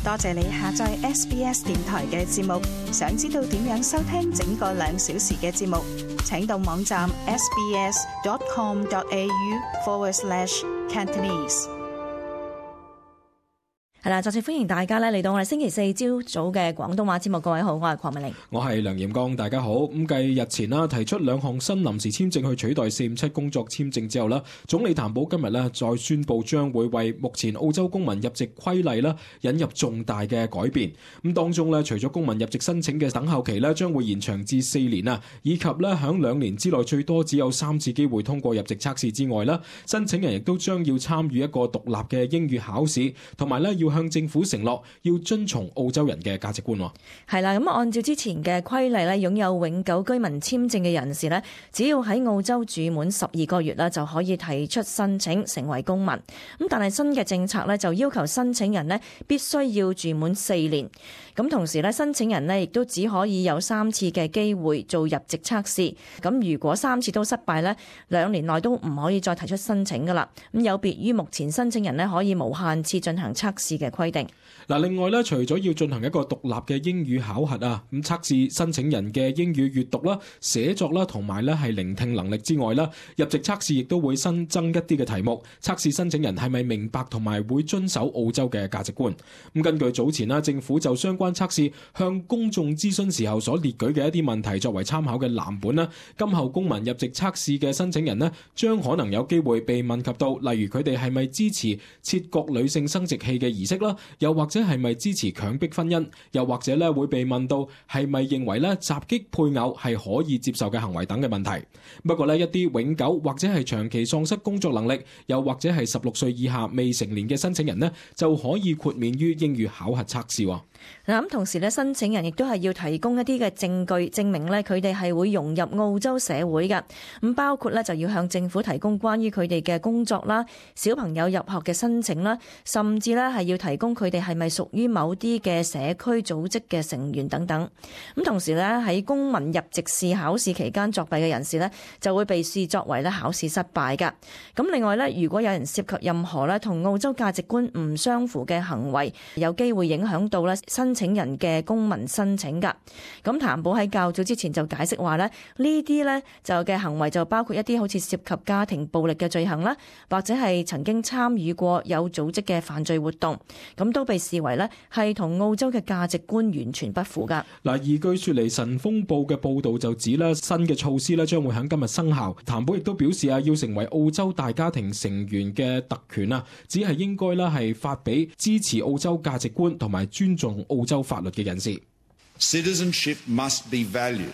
多謝你下載 SBS 電台嘅節目。想知道點樣收聽整個2小時嘅節目，請到網站 sbs.com.au/Cantonese。係啦，再次歡迎大家嚟到我哋星期四朝早嘅廣東話節目。各位好，我係鄺美玲，我係梁炎剛，大家好。咁繼日前提出2項新臨時簽證去取代457工作簽證之後啦，總理譚寶今日再宣布將會為目前澳洲公民入籍規例引入重大嘅改變。咁當中除咗公民入籍申請嘅等候期將會延長至4年啊，以及響2年之內最多只有3次機會通過入籍測試之外啦，申請人亦都將要參與一個獨立嘅英語考試，同埋要向政府承諾要遵從澳洲人嘅價值觀。係啦，咁按照之前嘅規例擁有永久居民簽證嘅人士只要喺澳洲住滿12個月就可以提出申請成為公民。咁但係新嘅政策就要求申請人必須要住滿4年。咁同時申請人亦都只可以有3次嘅機會做入籍測試。咁如果3次都失敗2年內都唔可以再提出申請噶啦。咁有別於目前申請人可以無限次進行測試嘅規定。另外除咗要進行一個獨立嘅英語考核啊，咁測試申請人嘅英語閱讀啦、寫作啦，同埋係聆聽能力之外啦，入籍測試亦都會新增一啲嘅題目，測試申請人係咪明白同埋會遵守澳洲嘅價值觀。咁根據早前政府就相關測試向公眾諮詢時候所列舉嘅一啲問題作為參考嘅藍本啦，今後公民入籍測試嘅申請人將可能有機會被問及到，例如佢哋係咪支持切割女性生殖器嘅儀式啦，又或者係咪支持強迫婚姻，又或者會被問到係咪認為襲擊配偶係可以接受嘅行為等嘅問題。不過一啲永久或者係長期喪失工作能力，又或者係16歲以下未成年嘅申請人就可以豁免於英語考核測試。咁同時申請人亦都係要提供一啲嘅證據，證明佢哋係會融入澳洲社會嘅。咁包括就要向政府提供關於佢哋嘅工作啦、小朋友入學嘅申請啦，甚至係要提供佢哋係咪屬於某啲嘅社區組織嘅成員等等。咁同時喺公民入籍試考試期間作弊嘅人士就會被視作為考試失敗㗎。咁另外如果有人涉及任何同澳洲價值觀唔相符嘅行為，有機會影響到申請人嘅公民申請㗎。咁譚寶喺較早之前就解釋話呢啲就嘅行為就包括一啲好似涉及家庭暴力嘅罪行啦，或者係曾經參與過有組織嘅犯罪活動，咁都被視為係同澳洲嘅價值觀完全不符㗎。而據雪梨晨鋒報嘅報導就指新嘅措施將會喺今日生效。譚寶亦都表示要成為澳洲大家庭成員嘅特權只係應該係發俾支持澳洲價值觀同埋尊重澳洲法律嘅人士。Citizenship must be valued.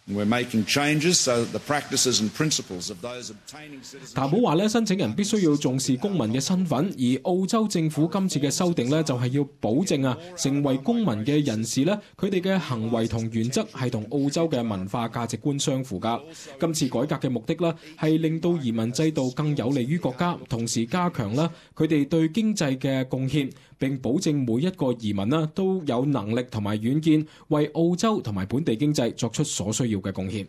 We're making changes so that the practices and principles of those obtaining citizenship。譚寶話申請人必須要重視公民嘅身份，而澳洲政府今次嘅修訂就係要保證成為公民嘅人士佢哋嘅行為同原則係同澳洲嘅文化價值觀相符㗎。今次改革嘅目的係令到移民制度更有利於國家，同時加強佢哋對經濟嘅貢獻，並保證每一個移民都有能力同埋遠見，為澳洲同埋本地經濟作出所需要嘅貢獻。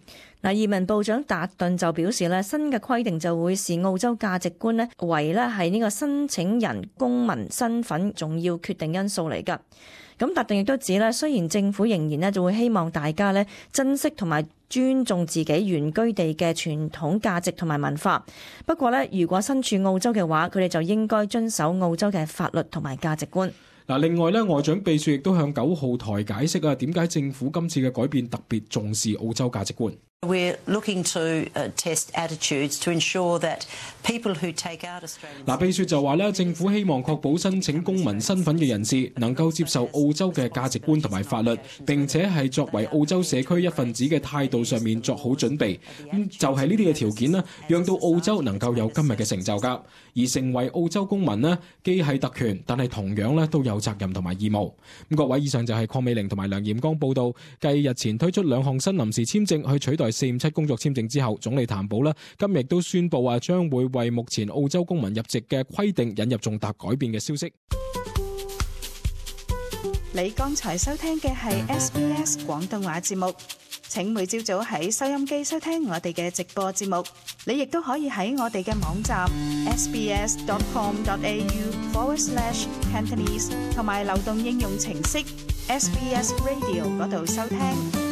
移民部長達頓就表示新嘅規定就會視澳洲價值觀為係呢個申請人公民身份重要決定因素嚟㗎。咁達頓亦都指雖然政府仍然就會希望大家珍惜同埋尊重自己原居地嘅傳統價值同埋文化，不過如果身處澳洲嘅話，佢哋就應該遵守澳洲嘅法律同埋價值觀。另外外長秘書亦都向9號台解釋點解政府今次嘅改變特別重視澳洲價值觀。We're looking to test attitudes to ensure that people who take out Australian。秘書就話政府希望確保申請公民身份嘅人士能夠接受澳洲嘅價值觀同埋法律，並且係作為澳洲社區一份子嘅態度上面作好準備。就係呢啲嘅條件讓到澳洲能夠有今日嘅成就㗎。而成為澳洲公民既係特權，但係同樣都有責任同埋義務。各位，以上就係鄺美玲同埋梁炎剛報道。繼日前推出2項新臨時簽證去取代457工作簽證之後，總理譚寶今日都宣布將會為目前澳洲公民入籍嘅規定引入重大改變嘅消息。你剛才收聽嘅係 SBS 廣東話節目，請每朝早喺收音機收聽我哋嘅直播節目。你亦都可以喺我哋嘅網站 sbs.com.au/Cantonese 同埋流動應用程式 SBS Radio 嗰度收聽。